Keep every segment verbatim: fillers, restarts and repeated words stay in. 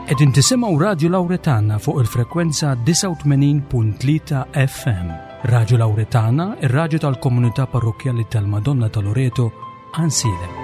Qegħdin tisimgħu Radju Lawretana fuq il-frekwenza disgħa u tmenin punt tlieta F M. Radju Lawretana, ir-radju tal-komunità parrokkjali tal-Madonna ta' Loreto, Għajnsielem.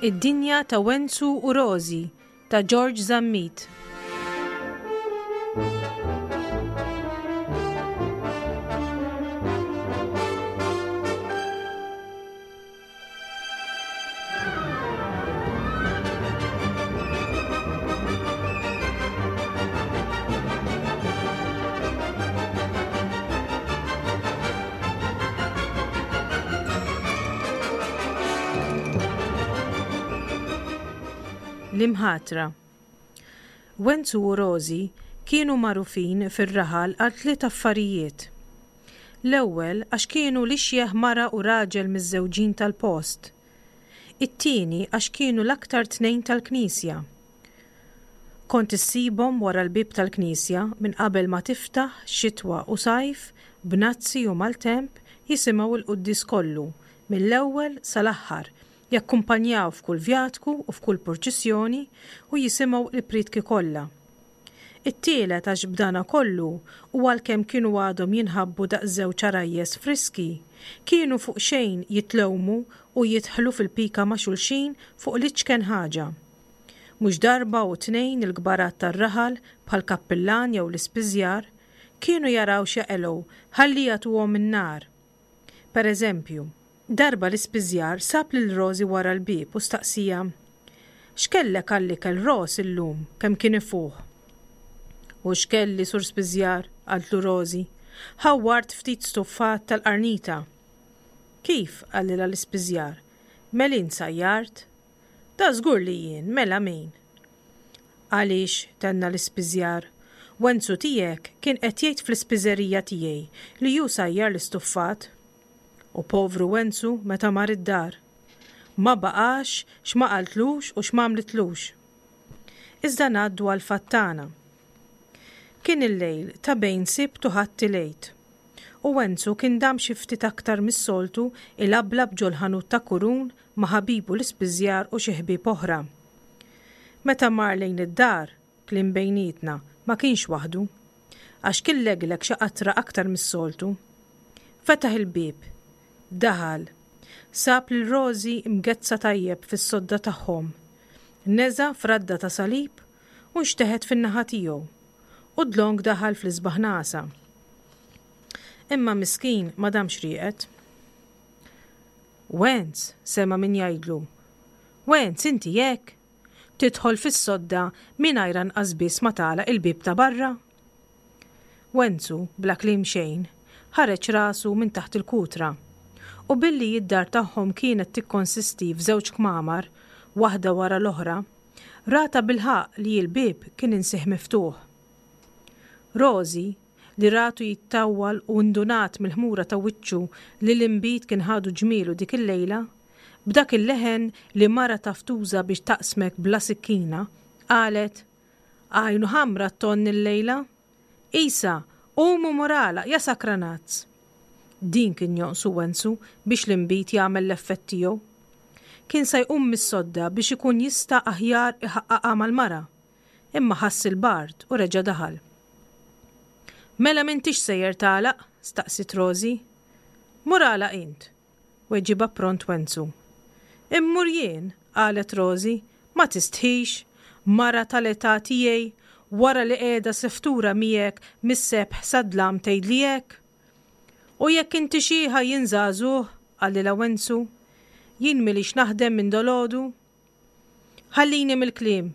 Id-dinja ta' Wenzu u Rożi ta' George Zammit. L-imħatra. Wenzu u Rożi kienu magħrufin fir-raħal għal tliet affarijiet. L-ewwel għax kienu l-ixjeħ mara u raġel miżżewġin tal-post. It-tieni għax kienu l-aktar tnejn tal-knisja. Kont issibhom wara l-bieb tal-knisja minn qabel ma tiftaħ xitwa u sajf, b'nazzi u maltemp jisimgħu l-quddies kollu, mill-ewwel sal-aħħar, jakkumpanjaw f'kull vjatku u f'kull purċissjoni u jisimgħu l-prietki kollha. It-tielet għax b'dana kollu u għalkemm kienu għadhom jinħabbu daqs żewġ għarajjes friski, kienu fuq xejn jitlewmu u jidħlu fil-pika ma' xulxin fuq l-iċken ħaġa. Mhux darba u tnejn il-kbarat tar-raħal bħal kappillan jew l-ispiżjar kienu jaraw x'jaqelgħu ħalli jagħtuhom in-nar. Per eżempju, darba l-ispiżjar sab lil Rożi wara l-bieb u staqsija, X'kellek għall-ikel Ros illum kemm kien ifuħ? U x'kelli sur spiżjar, qaltlu Rożi, ħawwart ftit stuffat tal-qarnita. Kif, qalilha l-ispiżjar, melin sajjart? Da żgur li jien, mela min? Għaliex, tenna l-ispiżjar, Wenzu tiegħek kien qed jgħid fl-ispiżerija tiegħi li hu sajjar l-istuffat. U povru Wenzu meta mar id-dar. Ma baqax x'ma qaltlux u x'ma għamlitlux. Iżda ngħaddu għal fattana. Kien il-lejl ta' bejn Sibt u Ħadd il-Għid. U Wenzu kien dam xi ftit aktar mis-soltu ilablab ġol-ħanut ta' Kurun ma' ħabibu l-ispiżjar u xi ħbieb oħra. Meta mar lejn id-dar, kliem bejnietna, ma kienx waħdu, għax kien leglek xi qatra aktar mis-soltu. Fetaħ il-bieb, daħal, sab lil Rożi mgezza tajjeb fis-sodda tagħhom, neża fradda ta' salib u nxteħet fin-naħa tiegħu, u dlonk daħal fl-isbaħ nasa. Imma miskin ma damx rieqed. Wenz, sema min jgħidlu. Wenz, inti hekk? Tidħol fis-sodda mingħajr anqas biss ma tagħlaq il-bieb ta' barra? Wenzu, bla kliem xejn, ħareġ rasu minn taħt il-kutra. U billi id-dar tagħhom kienet tikkonsisti f'żewġ kmamar, waħda wara l-oħra, rata bil-ħaqq li l-bieb kien insih miftuħ. Rożi, li ratu jittawwal u ndunat mill-ħmura ta' wiċċu li l-inbid kien ħadu ġmielu dik il-lejla, b'dak il-leħen li mara taftuża biex taqsmek bla sikkina, qalet, Għajnu ħamra t-tonn il-lejla? Isa, qumu morala, ja sakranazz. Din kien jonqsu Wenzu biex l-inbid jagħmel l-effett tiegħu. Kien se jqum mis-sodda biex ikun jista' aħjar iħaqqaqha mal-mara, imma ħass il-bard u reġa' daħal. Mela m'intix sejjer tagħlaq? Staqsit Rożi. Mur għalaq int, weġiba pront Wenzu. Immur jien, qalet Rożi, ma tistħix, mara tal-età tiegħi, wara li qiegħda seftura miegħek mis-sebħ sadlam tgħidli hekk. U jekk inti xieħa jien żagħżugħ, qalilha Wenzu, jien milix naħdem minn dolodu. Ħallini mill-kliem,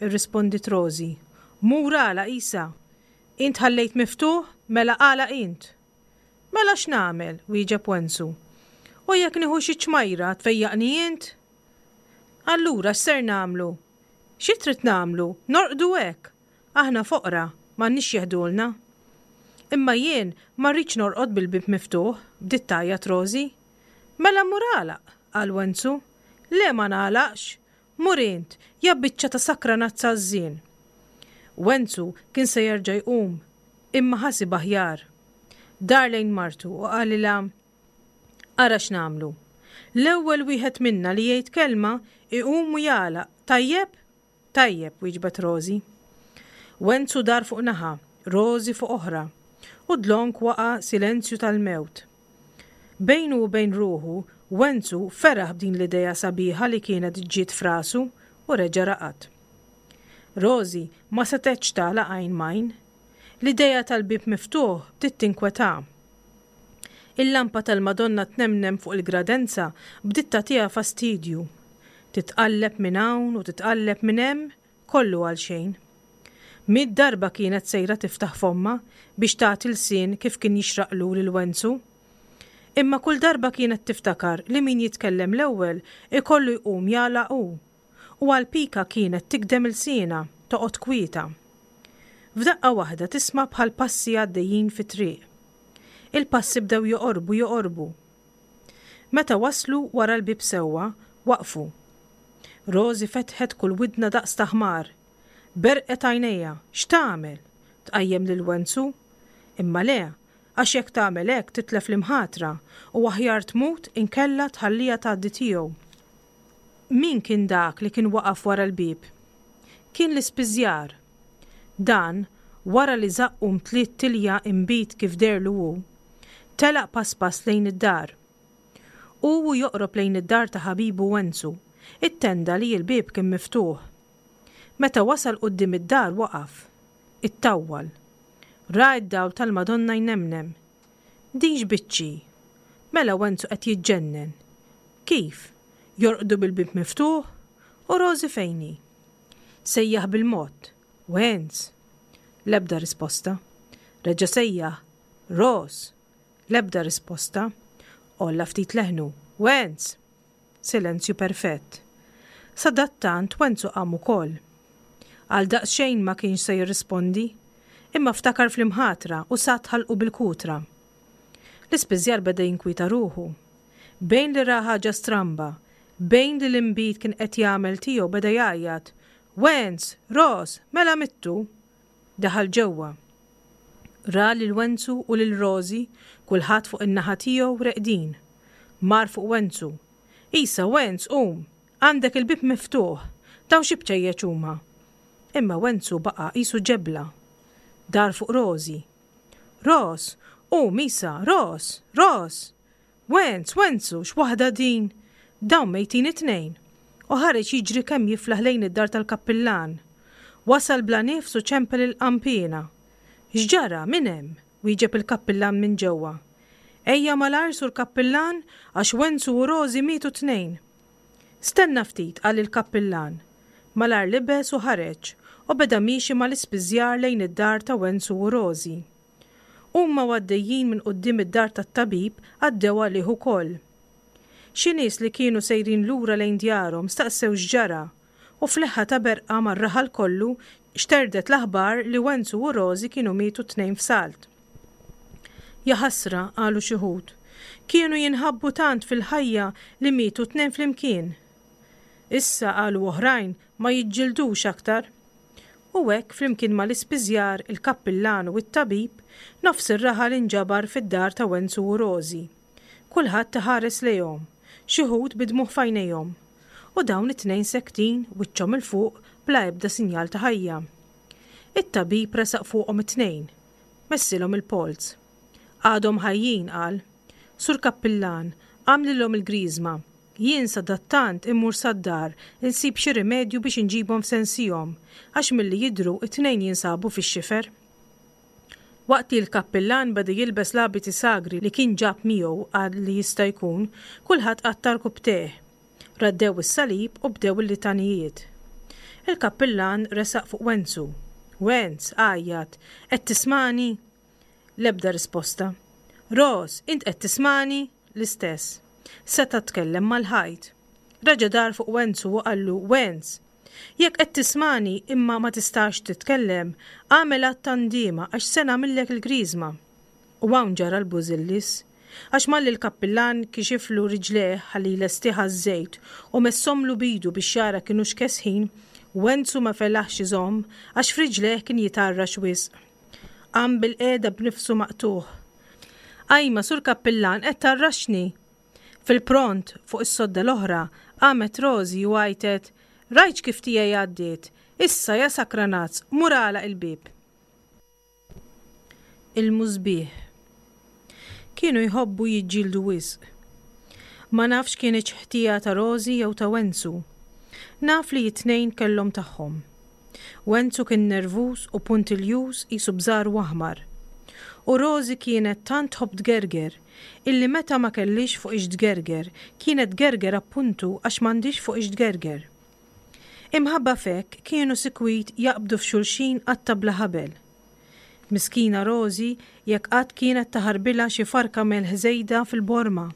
irrispondit Rożi. Mur għalaq isa. Int ħallejt miftuħ, mela għalaq int. Mela x'nagħmel, wieġeb Wenzu. U jekk nieħu xi ċmajra tfejjaqni int? Allura x'ser nagħmlu? Xi trid nagħmlu? Norqdu hekk. Aħna foqra, m'għandniex jeħdulna. Imma jien ma rridx norqod bil-bieb miftuħ, bdiet tgħajjat Rożi. Mela mur għalaq, qal Wenzu. Le ma nagħlaqx! Mur int, ja biċċa ta' sakranazza għażżien! Wenzu kien se jerġa' jqum, imma ħasibha aħjar. Dar lejn martu u qalilha, Ara x'nagħmlu. L-ewwel wieħed minna li jgħid kelma iqum u jagħlaq, tajjeb? Tajjeb, wieġbet Rożi. Wenzu dar fuq naħa, Rożi fuq oħra, u dlonk waqa' silenzju tal-mewt. Bejnu u bejn ruħu, Wenzu feraħ b'din l-idea sabiħa li kienet ġiet f'rasu u reġa' raqad. Rożi ma setgħetx tagħlaq għajn m'għajn. L-idea tal-bieb miftuħ bdiet tinkwetha. Il-lampa tal-Madonna tnemnem fuq il-gradenza bdiet tagħtiha fastidju. Titqalleb minn hawn u titqalleb minn hemm, kollu għal xejn. Mitt darba kienet sejra tiftaħ fommha biex tagħti lsien kif kien jixraqlu lil Wenzu. Imma kull darba kienet tiftakar li min jitkellem l-ewwel ikollu jqum jagħlaq hu. U għall-pika kienet tigdem ilsienha, toqgħod kwieta. F'daqqa waħda tisma' bħal passi għaddejjin fit-triq. Il-passi bdew joqorbu joqorbu. Meta waslu wara l-bieb sewwa, waqfu. Rożi fetħet kull widna daqs ta' ħmar. Berqet għajnejha, x'tagħmel? Tqajjem lil Wenzu? Imma le, għax jekk tagħmel hekk titlef l-imħatra u aħjar tmut inkella tħalliha tgħaddi tiegħu. Min kien dak li kien waqaf wara l-bieb? Kien l-ispiżjar. Dan, wara li żaqqu mtliet tilja inbid kif deherlu hu, telaq pass pass lejn id-dar. Hu u joqrob lejn id-dar ta' ħabibu Wenzu, ittenda li l-bieb kien miftuħ. Meta wasal quddiem id-dar waqaf. Ittawwal. Ra d-dawl tal-Madonna jnemnem. Din x'biċċi? Mela Wenzu qed jiġġennen. Kif? Jorqdu bil-bieb miftuħ? U Rożi fejn hi? Sejjaħ bil-mod. Wenz! L-ebda risposta. Reġa' sejjaħ. Roż! L-ebda risposta. Għolla ftit leħnu. Wenz! Silenzju perfett. Sadattant Wenzu qam ukoll. Għal daqsxejn ma kienx se jirrispondi, imma ftakar fl-imħatra u sat ħalqu bil-kutra. L-ispiżjar beda jinkwieta ruħu. Bejn li ra ħaġa stramba, bejn li l-inbid kien qed jagħmel tiegħu beda jgħajjat, Wenz! Roż! Mela mittu! Daħal ġewwa. Ra lil Wenzu u lil Rożi, kulħadd fuq in-naħa tiegħu reqdin. Mar fuq Wenzu. Isa, Wenz, qum! Għandek il-bieb miftuħ! Dawn xi bċejjeċ huma? Imma Wenzu baqa' qisu ġebla. Dar fuq Rożi. Roż! Qum, isa! Roż! Roż! Wenz, Wenzu, x'waħda din! Dawn mejtin it-tnejn! U ħareġ jiġri kemm jiflaħ lejn id-dar tal-kappillan. Wasal bla nifs u ċempel il-qanpiena. X'ġara, min hemm? wieġeb il-kappillan minn ġewwa. Ejja malajr sur kappillan għax Wenzu u Rożi mietu t-tnejn. Stenna ftit, qal il-kappillan. Malajr libes u ħareġ u beda miexi mal-ispiżjar lejn id-dar ta' Wenzu u Rożi. Huma u għaddejjin minn quddiem id-dar tat-tabib għaddew għalih ukoll. Xi nies li kienu sejrin lura lejn djarhom staqsew x'ġara u f'leħħa ta' berqa mar-raħal kollu xterdet l-aħbar li Wenzu u Rożi kienu mietu t-tnejn f'salt. Jaħasra, qalu xi wħud, kienu jinħabbu tant fil-ħajja li mietu t-tnejn flimkien. Issa, qalu oħrajn, ma jiġġildux aktar. U hekk, flimkien mal-ispiżjar, il-kappillan u t-tabib, nofs ir-raħal inġabar fid-dar ta' Wenzu u Rożi. Kulħadd iħares lejhom, xi wħud bi dmugħ f'għajnejhom. U dawn it-tnejn sektin, wiċċhom 'il fuq, bla ebda sinjal ta' ħajja. It-tabib resaq fuqhom it-tnejn. Messilhom il-polz. Għadhom ħajjin, qal. Sur Kappillan, agħmlilhom il-griżma. Jien sadattant immur sad-dar insib xi rimedju biex inġibhom f'sensihom, għax milli jidhru t-tnejn jinsabu fix-xifer. Waqt li l-kappillan beda jilbes l-abiti sagri li kien ġab miegħu għad li jista' jkun, kulħadd qatta' rkubbtejh. Raddew is-salib u bdew il-litanijiet. Il-kappillan resaq fuq Wenzu. Wenz, għajjat, qed tismagħni? L-ebda risposta. Roż, int qed tismagħni? L-istess. Seta' tkellem mal-ħajt. Reġa' dar fuq Wenzu u qallu, Wenz, jekk qed tismagħni imma ma tistax titkellem, agħmel att ta' ndiema għax se nagħmillek il-griżma. U hawn ġara l-bużillis. Għax malli l-kappillan kixiflu riġlejh ħalli jlestih għaż-żejt u messomlu b'idu biex jara kinux kesħin, Wenzu ma felaħx iżomm għax f'riġlejh kien jitgħarrax wisq. Qam bilqiegħda b'nifsu maqtugħ. Ajma, sur kappillan, qed tgħarraxni! Fil-pront, fuq is-sodda l-oħra, qamet Rożi u għajtet, Rajtx kif tiegħi għaddiet! Issa, ja sakranazz, mur agħlaq il-bieb! Il-musbieħ. Kienu jħobbu jiġġieldu wisq. Ma nafx kinitx ħtija ta' Rożi jew ta' Wenzu. Naf li t-tnejn kellhom tagħhom. Wenzu kien nervuż u puntiljuż qisu bżaru aħmar. U Rożi kienet tant tħobb tgerger illi meta ma kellhiex fuq ix tgerger kienet tgerger appuntu għax m'għandhiex fuq ix tgerger. Imħabba f'hekk kienu sikwit jaqbdu f'xulxin qatta bla ħabel. Miskina Rożi jekk qatt kienet taħarbilha xi farka melħ żejda fil-borma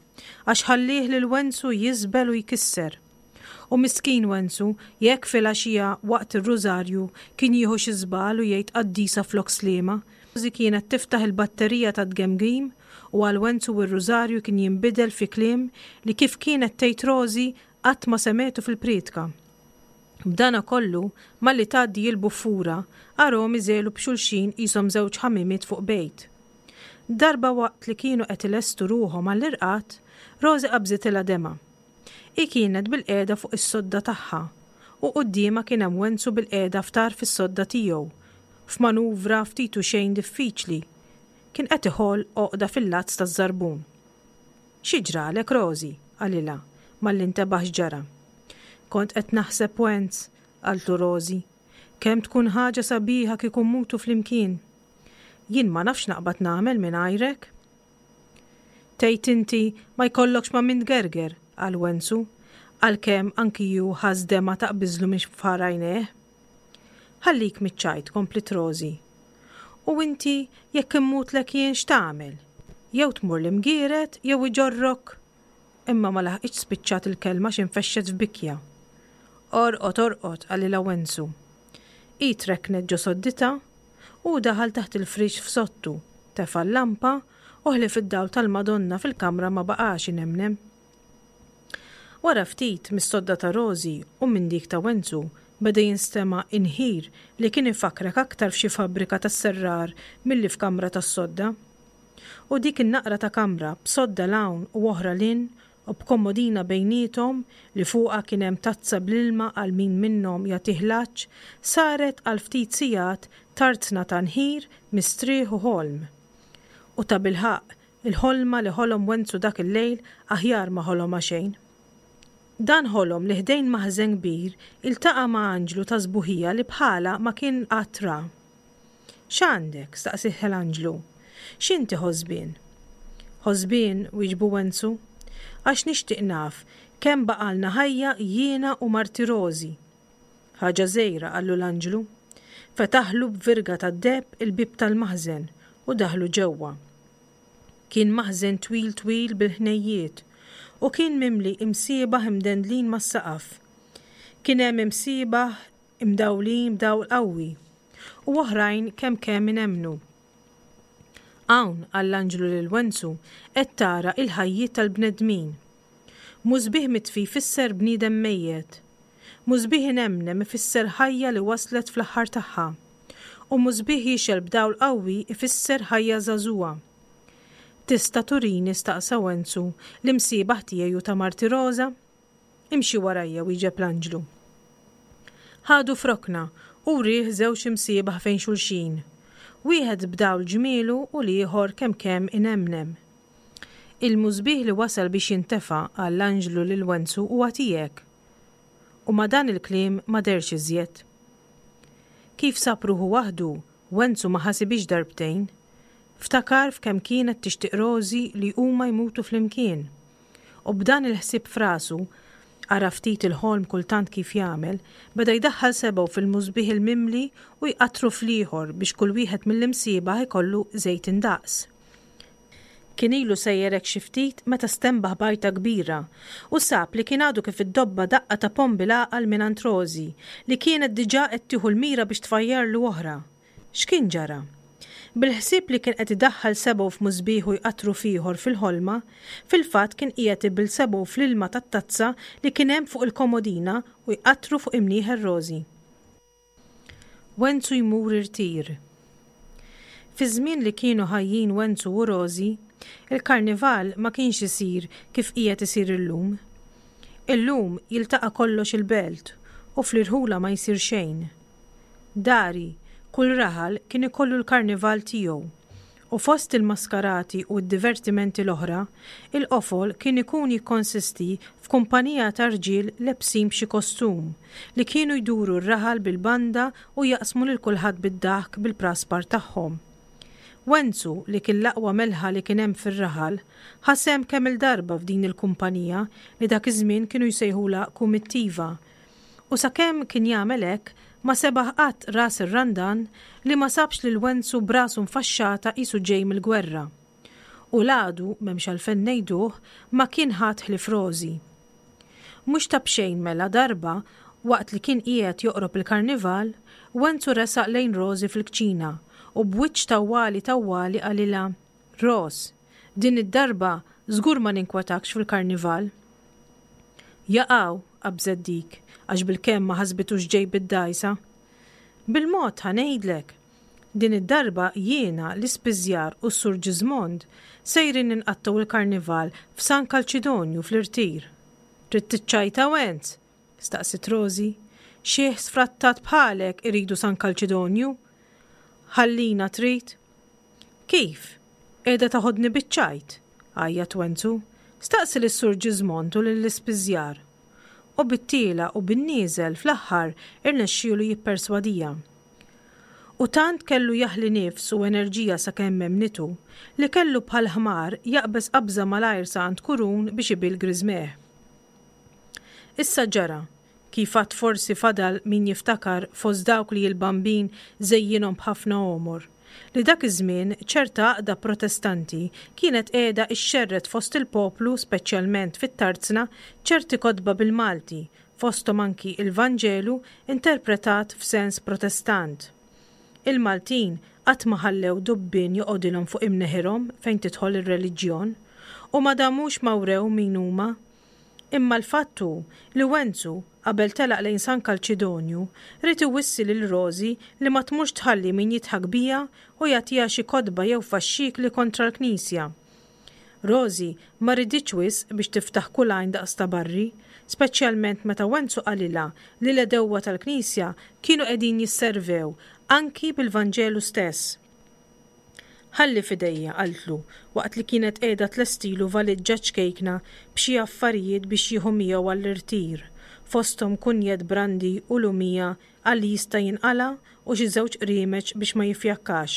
għax ħallieh lil Wenzu jiżbel u jkisser. U miskin Wenzu jekk filgħaxija waqt ir-rużarju kien jieħu xi żball u jgħid qaddisa flok sliema, Rożi kienet tiftaħ il-batterija tat-tgemgim u għal Wenzu r-rużarju kien jinbidel fi kliem li kif kienet tgħid Rożi qatt ma semgħetu fil-prietka. B'dana kollu, malli tgħaddi l-buffura, arahom iżegħlu b'xulxin qishom żewġ ħamimiet fuq bejt. Darba waqt li kienu qed ilestu ruħhom għall-irqad, Rożi qabżitilha demgħa. Hi kienet bilqiegħda fuq is-sodda tagħha u quddiemha kien hemm Wenzu bilqiegħda f'tarf is-sodda tiegħu, f'manuvra ftit u xejn diffiċli. Kien qed iħoll għoqda fil-lazz taż-żarbun. Xi ġralek, Rożi? qalilha, malli ntebaħ x'ġara. Kont qed naħseb Wenz, qaltlu Rożi. Kemm tkun ħaġa sabiħa kieku mmutu flimkien. Jien ma nafx naqbad nagħmel mingħajrek. Tgħid inti ma jkollokx ma' min tgerger, qal Wenzu, għalkemm anki hu ħass demgħa taqbiżlu minn far għajnejh. Ħallik miċ-ċajt, kompliet Rożi. U inti jekk immutlek jien x'tagħmel? Jew tmur l-Imgieret jew iġorrok. Imma ma laħqitx spiċċat il-kelma x'infexxet f'bikja. Orqod, orqod, qalilha Wenzu. Hi trekknet ġo sodditha u daħal taħt il-friex f'sodtu, tefa' l-lampa u ħlief id-dawl tal-Madonna fil-kamra ma baqax inemnem. Wara ftit, mis-sodda ta' Rożi u minn dik ta' Wenzu beda jinstema' inħir li kien ifakkrek aktar f'xi fabbrika tas-serrar milli f'kamra tas-sodda. U dik in-naqra ta' kamra b'sodda 'l hawn u oħra 'l hinn u b'komodina bejniethom li fuqha kien hemm tazza bl-ilma għal min minnhom jagħtih l-għatx saret għal ftit sigħat tarzna ta' nħir, mistrieħ u ħolm. U tabilħaqq, il-ħolma li ħolom Wenzu dak il-lejl aħjar ma ħolomha xejn. Dan ħolom li ħdejn maħżen kbir iltaqa' ma' anġlu ta' sbuħija li bħalha ma kien qatt ra. X'għandek? staqsieh l-anġlu. X'inti ħosbien? Ħosbien, wieġbu Wenzu, għax nixtieq naf kemm baqgħalna ħajja jiena u marti Rożi. Ħaġa żgħira, qallu l-anġlu. Fetaħlu b'virga tad-deheb il-bieb tal-maħżen u daħlu ġewwa. Kien maħżen twil twil bil-ħnejjiet u kien mimli imsiebaħ imdendlin mas-saqaf. Kien hemm imsiebaħ imdawlin b'dawl qawwi u oħrajn kemm kemm inemmnu. Hawn, qal l-anġlu lil Wenzu, qed tara il-ħajjiet tal-bnedmin. Musbieħ mitfi jfisser bniedem mejjet. Musbieħ inemnem ifisser ħajja li waslet fl-aħħar tagħha. U musbieħ jixgħel b'dawl qawwi ifisser ħajja żagħżugħa. Tista' turini, staqsa Wenzu, l-imsiebaħ tiegħi u ta' marti Roża? Imxi warajja, wieġeb l-anġlu. Ħadu f'rokna u wrieh żewġ imsiebaħ fejn xulxin, wieħed b'dawl ġmielu u l-ieħor kemm kemm inemnem. Il-musbieħ li wasal biex jintefa', qal l-anġlu lil Wenzu, huwa tiegħek. U ma' dan il-kliem ma dehrx iżjed. Kif sab ruħu waħdu, Wenzu ma ħasibhiex darbtejn. Ftakar f'kemm kienet tixtieq Rożi li huma jmutu flimkien. U b'dan il-ħsieb f'rasu, ara ftit il-ħolm kultant kif jagħmel, beda jdaħħal sebgħu fil-musbieħ il-mimli u jqattru fl-ieħor biex kull wieħed mill-imsiebaħ ikollu żejt indaqs. Kien ilu sejjer hekk xi ftit meta stenbaħ b'għajta kbira u sab li kien għadu kif iddobba daqqa ta' ponn bil-għaqal mingħand Rożi li kienet diġà qed tieħu l-mira biex tfajjarlu oħra. X'kien ġara? Bil-ħsieb li kien qed idaħħal sebgħu f'musbieħ u jqattru f'ieħor fil-ħolma, fil-fatt kien qiegħed ibill sebgħu fl-ilma tat-tazza li kien hemm fuq il-komodina u jqattru fuq imnieħer Rożi. Wenzu jmur irtir. Fiż-żmien li kienu ħajjin Wenzu u Rożi, il-karnival ma kienx isir kif qiegħed isir illum. Illum jiltaqa' kollox il-belt u fl-irħula ma jsir xejn. Dari, kull raħal kien ikollu l-karnival tiegħu u fost il-maskarati u d-divertimenti l-oħra, il-qofol kien ikun jikkonsisti f'kumpanija ta' rġiel lebsin b'xi kostum li kienu jduru r-raħal bil-banda u jaqsmu lil kulħadd bid-daħk bil-praspar tagħhom. Wenzu, li kien l-aqwa melħa li kien hemm fir-raħal, ħa sehem kemm-il darba f'din il-kumpanija li dak iż-żmien kienu jsejħulha kumittiva. U sakemm kien jagħmel hekk, ma sebaħ qatt ras ir-Randan li ma sabx lil Wenzu b'rasu mfaxxata qisu ġej mill-gwerra. U l-għadu, m'hemmx għalfejn ngħiduh, ma kien ħadd ħlief Rożi. Mhux ta' b'xejn mela darba, waqt li kien qiegħed joqrob il-karnival, Wenzu resaq lejn Rożi fil-kċina u b'wiċċ tawwali tawwali qalilha, Ros, din id-darba żgur ma ninkwetakx fil-karnival. Jaqaw, qabżet dik, għax bilkemm ma ħasbitux ġej bid-dgħajsa. Bil-mod ħa ngħidlek. Din id-darba jiena, l-ispiżjar u s-Sur Ġiżmond sejrin inqattgħu il-karnival f'San Kalċidonju fl-irtir. Trid tiċċajta Wenz? staqsiet Rożi. Xiħ sfrattat bħalek iridu San Kalċidonju? Ħallina trid? Kif? Qiegħda taħodni biċ-ċajt? għajjat Wenzu. Staqsi lis-Sur Ġiżmond u lill-ispiżjar. U bit-tiela' u bin-nieżel fl-aħħar irnexxielu jipperswadiha. U tant kellu jaħli nifs u enerġija sakemm emmnitu, li kellu bħal ħmar jaqbeż qabża malajr sa għand Kurun biex ibill griżmejh. Issa ġara, kif għad forsi fadal min jiftakar fost dawk li l-Bambin żejjinhom b'ħafna għomor, li dak iż-żmien ċerta għaqda Protestanti kienet qiegħda ixxerred fost il-poplu speċjalment fit-tarzna ċerti kotba bil-Malti, fosthom anki il-Vanġelu interpretat f'sens Protestant. Il-Maltin qatt ma ħallew dubbien joqgħodilhom fuq imneħirhom fejn tidħol ir-reliġjon, u ma damux ma wrew min huma. Imma l-fatt hu li Wenzu, qabel telaq lejn San Kalċidonju, ried iwissi lil Rożi li ma tmurx tħalli min jidħak biha u jagħtiha xi kotba jew faxxikli kontra l-Knisja. Rożi ma riditx wisq biex tiftaħ kull għajn daqs ta' barri, speċjalment meta Wenzu qalilha li l-għedewwa tal-Knisja kienu qegħdin jisservew anki bil-Vanġelu stess. Ħalli f'idejja, qaltlu, waqt li kienet qiegħda tlestilu valiġġa ċkejkna b'xi affarijiet biex jieħu miegħu għall-irtir, fosthom kunjett brandi u lumija għal li jista' jinqala' u xi żewġ qriemeċ biex ma jiffjakkax.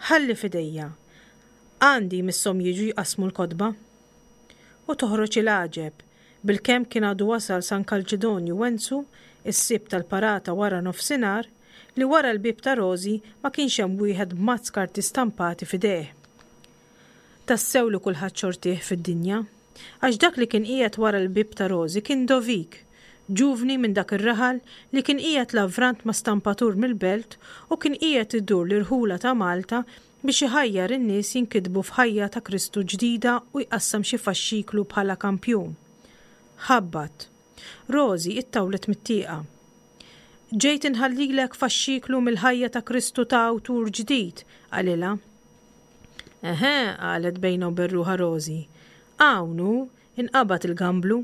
Ħalli f'idejja. Għandi jmisshom jiġu jqassmu l-kotba. U toħroġ il-għaġeb, bilkemm kien għadu wasal San Kalċidonju Wenzu, is-Sibt tal-parata wara nofsinhar, li wara l-bieb ta' Rożi ma kienx hemm wieħed b'mazz karti stampati f'idejh. Tassew li kulħadd xortih fid-dinja, għax dak li kien qiegħed wara l-bieb ta' Rożi kien Dovik, ġuvni minn dak ir-raħal li kien qiegħed lavrant ma' stampatur mill-belt u kien qiegħed idur l-irħula ta' Malta biex iħajjar in-nies jinkitbu f'ħajja ta' Kristu ġdida u jqassam xi faxxiklu bħala kampjun. Ħabbat. Rożi ittawlet mit-tieqa. Ġejt inħallilek faxxiklu mill-ħajja ta' Kristu ta' awtur ġdid, qalilha. Eħe, qalet bejnha u bejn ruħha Rożi. Hawn hu, inqabad il-gamblu.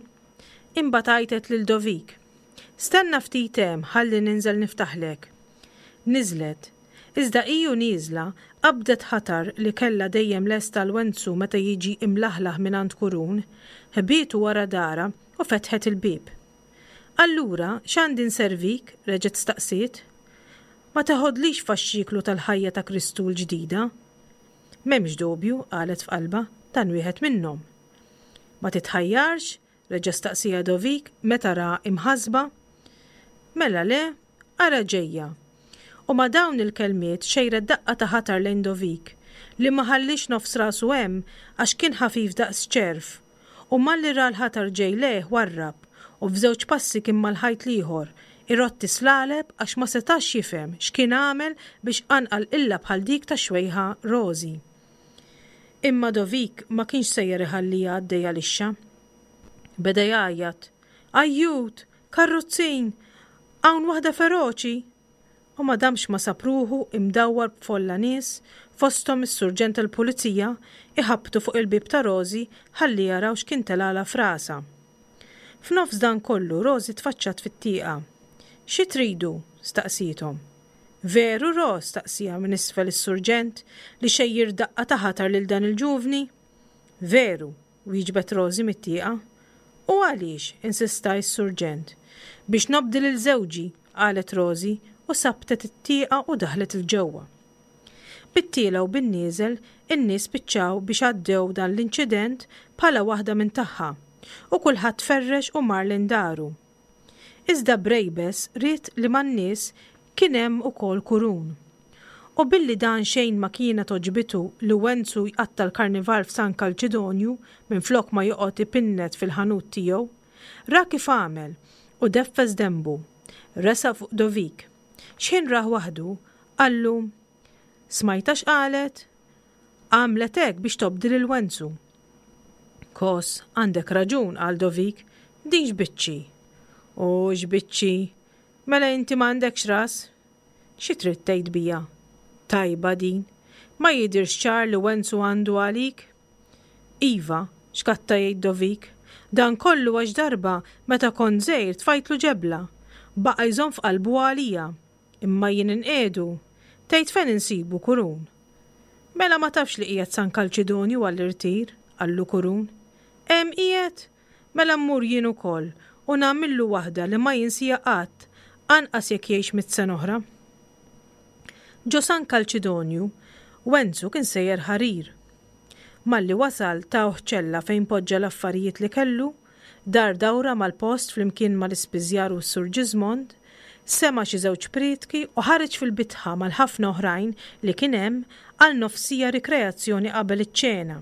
Imbagħad għajtet lil Dovik. Stenna ftit hemm ħalli ninżel niftaħlek. Niżlet. Iżda hi u nieżla, qabdet ħatar li kellha dejjem lest għal Wenzu meta jiġi imlaħlaħ mingħand Kurun, ħbietu wara darha u fetħet il-bieb. Allura, x'għandi nservik? reġgħet staqsiet. Ma teħodlix faxxiklu tal-ħajja ta' Kristu l-ġdida? M'hemmx dubju, qalet f'qalbha, dan wieħed minnhom. Ma titħajjarx? reġa' staqsieha Dovik meta ra imħassba. Mela le, ara ġejja. U ma' dawn il-kelmiet xejret daqqa ta' ħatar lejn Dovik, li ma ħalliex nofs rasu hemm għax kien ħafif daqs ċerv, u malli ra l-ħatar ġej lejh warrab u f'żewġ passi kien mal-ħajt l-ieħor, Irotti slaleb għax ma setax jifhem x'kien għamel biex qanqal qilla bħal dik tax-xwejħa Rosie. Imma Dovik ma kienx sejjer iħalliha għaddejja lixxa. Beda jgħajjat, "Ajjut! Karrozzin! Hawn waħda feroċi!" U ma damx ma sab ruħu imdawwar b'folla nies, fosthom is-surġent tal-pulizija, iħabbtu fuq il-bieb ta' Rosie ħalli jaraw x'kien telgħalha f'rasha. F'nofs dan kollu Rosie tfaċċat fit-tieqa. "Xi tridu?" staqsiethom. "Veru, Ros?" staqsieha minn isfel is-surġent, "li xejjer daqqa ta' ħatar lil dan il-ġuvni?" "Veru," wieġbet Rosie mit-tieqa. "U għaliex?" insista s-surġent. "Biex nobdi lil żewġi," qalet Rosie u sabtet it-tieqa u daħlet 'il ġewwa. Bit-tiela u bin-nieżel in-nies spiċċaw biex għaddew dan l-inċident bħala waħda minn tagħha u kulħadd tferrex u mar lejn daru. Iżda Brejbes ried li man-nies kien hemm ukoll Kurun. U billi dan xejn ma kienet għoġbitu li Wenzu jqatta' l-karnival f'San Kalċidonju minflok ma joqgħod ipinnet fil-ħanut tiegħu, ra kif għamel u deffes denbu. Resaq fuq Dovik. X'ħin rah waħdu, qallu, "Smajtha x'qalet? Għamlet hekk biex tobdi lil Wenzu." "Kos, għandek raġun," qal Dovik, "din x'biċċi." "U x'biċċi? Mela inti m'għandekx ras?" "Xi trid tgħid bija?" "Tajba din. Ma jidhirx ċar li Wenzu għandu għalik?" "Iva," xkatta jgħid Dovik, "dan kollu għax darba meta kont żgħir tfajtlu ġebla. Baqa' jżomm f'qalbu għalija. Imma jien inqiegħdu. Tgħid fejn insibu Kurun?" "Mela ma tafx li qiegħed San Kalċidonju għall-irtir," qallu Kurun. "Hemm qiegħed? Mela mmur jien ukoll u nagħmillu waħda li ma jinsija qatt, anqas jekk jgħix mitt sena oħra." Ġo San Kalċidonju, Wenzu kien sejjer ħarir. Malli wasal tawh ċella fejn poġġa l-affarijiet li kellu, dar dawra mal-post flimkien mal-ispiżjar u s-Sur Ġiżmond, sema' xi żewġ prietki u ħareġ fil-bitħa mal-ħafna oħrajn li kien hemm għal nofsija rikreazzjoni qabel iċ-ċena.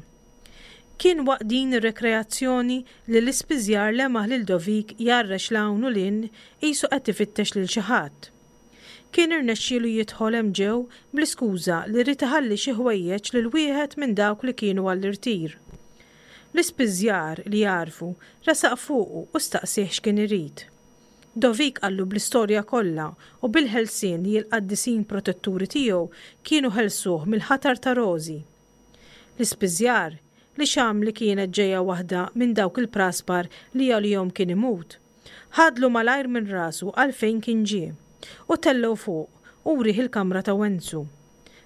Kien waqt din ir-rekreazzjoni li l-ispiżjar lemaħ lil Dovik jgħarrex 'l hawn u 'l hinn qisu qed ifittex lil xi ħadd. Kien irnexxielu jidħol hemm ġew bl-iskuża li ried iħalli xi ħwejjeġ lil wieħed minn dawk li kienu għall-irtir. L-ispiżjar li għarfu resaq fuqu u staqsieh x'kien irid. Dovik qallu bl-istorja kollha u bil-ħelsien li l-qaddisin protetturi tiegħu kienu ħelsuh mill-ħatar ta' Rosie. L-ispiżjar, li xam li kienet ġejja waħda minn dawk il-praspar li għalihom kien imut, ħadlu malajr minn rasu għalfejn kien ġie u tellgħu fuq u wrieh il-kamra ta' Wenzu.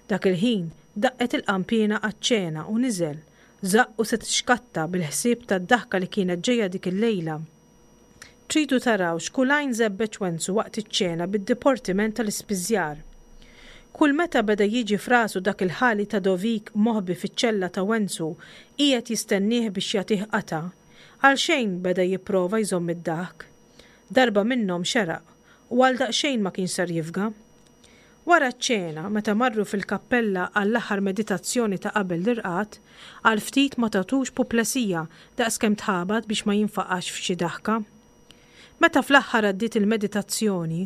Dak il-ħin daqqet il-qanpiena għaċ-ċena u niżel, żaqqu se tixkatta bil-ħsieb tad-daħka li kienet ġejja dik il-lejla. Tridu taraw x'kull għajn żebbeġ Wenzu waqt iċ-ċena bid-diportiment tal-ispiżjar. Kull meta beda jiġi f'rasu dak il-ħali ta' Dovik moħbi fiċ-ċella ta' Wenzu qiegħed jistennieh biex jagħtih qatgħa, għalxejn beda jipprova jżomm id-daħk. Darba minnhom xeraq u għal daqsxejn ma kienx ser jifga. Wara ċ-ċena, meta marru fil-kappella għall-aħħar meditazzjoni ta' qabel l-irqad, għal ftit ma tatux puplesija daqskemm tħabat biex ma jinfaqax f'xi daħka. Meta fl-aħħar għaddiet il-meditazzjoni,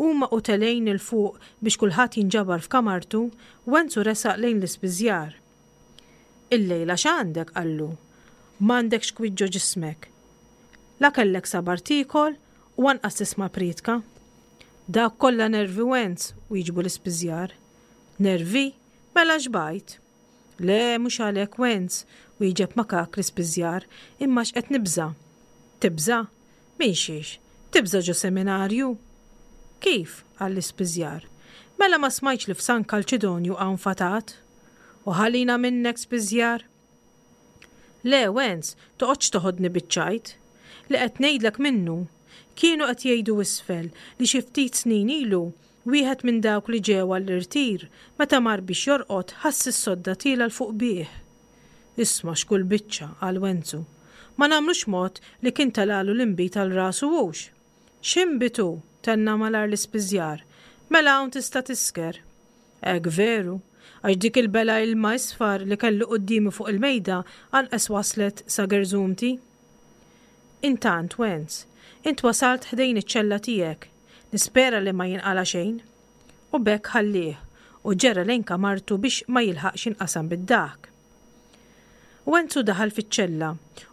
huma u telgħin 'il fuq biex kulħadd jinġabar f'kamartu, Wenzu resaq lejn l-ispiżjar. "Illejla x'għandek?" qallu. "M'għandekx kwiet ġo ġismek. La kellek sabar tiekol u anqas tisma' prietka." "Dawk kollha nervi, Wenz," wieġbu l-ispiżjar. "Nervi? Mela xbajt." "Le, mhux għalhekk, Wenz," wieġeb makak l-ispiżjar, "imma x'qed nibża'." "Tibża'? Min xiex? Tibża' ġo seminarju?" "Kif?" qal l-ispiżjar. "Mela ma smajtx li f'San Kalċidonju hawn fatat?" "U ħallina minnek, spiżjar." "Le, Wenz, toqgħodx toħodni biċ-ċajt. Li qed ngħidlek minnu. Kienu qed jgħidu isfel li xi ftit snin ilu wieħed minn dawk li ġew għall-irtir meta mar biex jorqod ħass is-sodda tiela' 'l fuq bih." "Isma' x'kull biċċa," qal Wenzu. "Ma nagħmlux mod li kien telgħalu l-inbid għal rasu hux." "X'inbid hu?" tenna malajr l-ispiżjar. "Mela hawn tista' tisker." "Hekk veru, għax dik il-bela ilma isfar li kellu quddiemi fuq il-mejda anqas waslet sa gerżumti." Intant, Wenz, int wasalt ħdejn iċ-ċella tiegħek. Nispera li ma jinqala' xejn. U b'hekk ħallieh u ġera lejn kamartu biex ma jilħaqx jinqasam bid-daħk. Wenzu daħal fiċ-ċella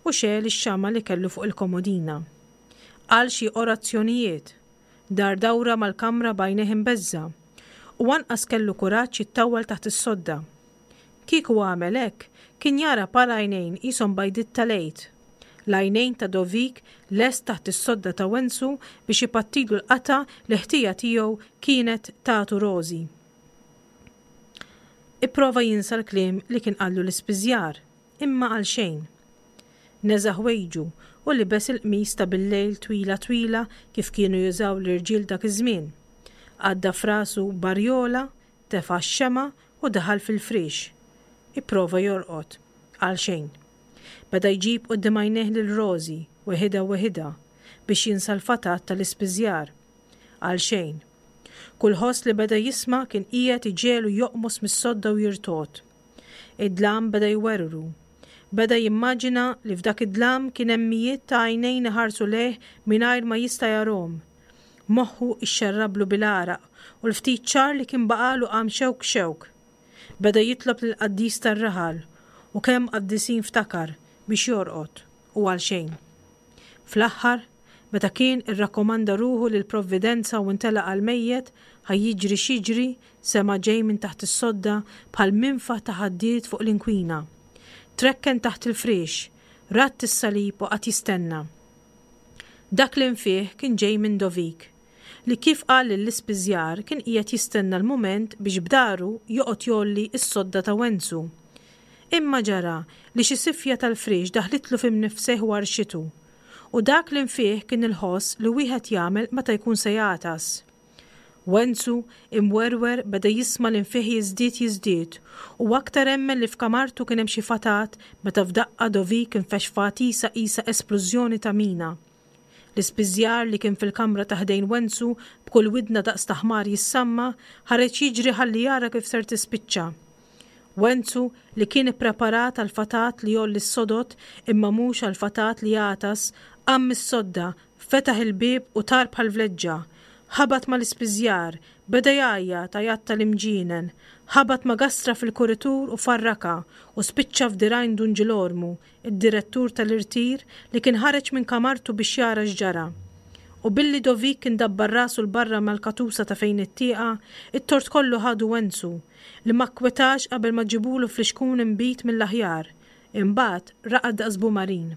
u xegħel ix-xama' li kellu fuq il-komodina. Qal xi orazzjonijiet, dar dawra mal-kamra b'għajnejh imbeżża' u anqas kellu kuraġġ jittawwal taħt is-sodda. Kieku għamel hekk, kien jara par għajnejn qishom bajdiet tal-Għid. L-għajnejn ta' Dovik lest taħt is-sodda ta' Wenzu biex ipattilu l-qatgħa li ħtija tiegħu kienet tatu Rożi. Ipprova jinsa l-kliem li kien qallu l-ispiżjar, imma għalxejn. Neża' ħwejġu u libes il-qmis ta' billejl twila twila kif kienu jużaw l-irġiel dak iż-żmien. Għadda f'rasu barjola, tefa' x-xemgħa u daħal fil-friex. Ipprova jorqod. Għalxejn. Beda jġib quddiem għajnejh lil Rożi, weħidha weħidha, biex jinsa l-fatat tal-ispiżjar. Għalxejn. Kull ħoss li beda jisma' kien qiegħed iġegħlu joqmos mis-sodda u jirtogħod. Id-dlam beda jwerwru. Beda jimmaġina li f'dak id-dlam kien hemm mijiet ta' għajnejn iħarsu lejh mingħajr ma jista' jarahom. Moħħu ixxerrablu bil-għaraq u l-ftit ċar li kien baqagħlu qam xewk xewk. Beda jitlob lill-qaddis tar-raħal u kemm qaddisin ftakar biex jorqod u għalxejn. Fl-aħħar, meta kien irrakkomanda ruħu lill-Provvidenza u ntelaq għall-mejjet, ħa jiġri x'jiġri, sema' ġej minn taħt is-sodda bħal minfaħ ta' ħaddied fuq l-inkwina. Trekken taħt il-friex, radd is-salib u qagħad jistenna. Dak l-infiħ kien ġej minn Dovik, li kif qal lill-ispiżjar kien qiegħed jistenna l-mument biex b'daru joqgħod jgħolli s-sodda ta' Wenzu. Imma ġara li xi sifja tal-friex daħlitlu fi mnifsejh u għarrxitu. U dak l-infiħ kien il-ħoss li wieħed jagħmel meta jkun se jagħtas. Wenzu, imwerwer, beda jisma' l-infiħ jiżdied jiżdied u aktar emmen li f'kamartu kien hemm xi fatat meta f'daqqa Dovik infexx f'għatisa qisha esplużjoni ta' mina. L-ispiżjar li kien fil-kamra ta' ħdejn Wenzu b'kull widna daqs ta' ħmar jissamma, ħareġ jiġri ħalli jara kif ser tispiċċa. Wenzu, li kien ippreparat għall-fatat li jgħolli s-sodod imma mhux għall-fatat li jagħtas, qam mis-sodda, fetaħ il-bieb u tar bħal vleġġa. Ħabat mal-ispiżjar, beda jgħajjat għajat tal-imġienen, ħabat ma' gastra fil-kuritur u farrakha u spiċċa f'dirgħajn Dun Ġilormu, id-direttur tal-irtir li kien ħareġ minn kamartu biex jara x'ġara. U billi Dovik kien dabbar rasu 'l barra mal-katusa ta' fejn it-tieqa, it-tort kollu ħadu Wenzu, li ma kkwetax qabel ma ġibulu flixkun inbid mill-aħjar. Imbagħad raqad daqs bumarin.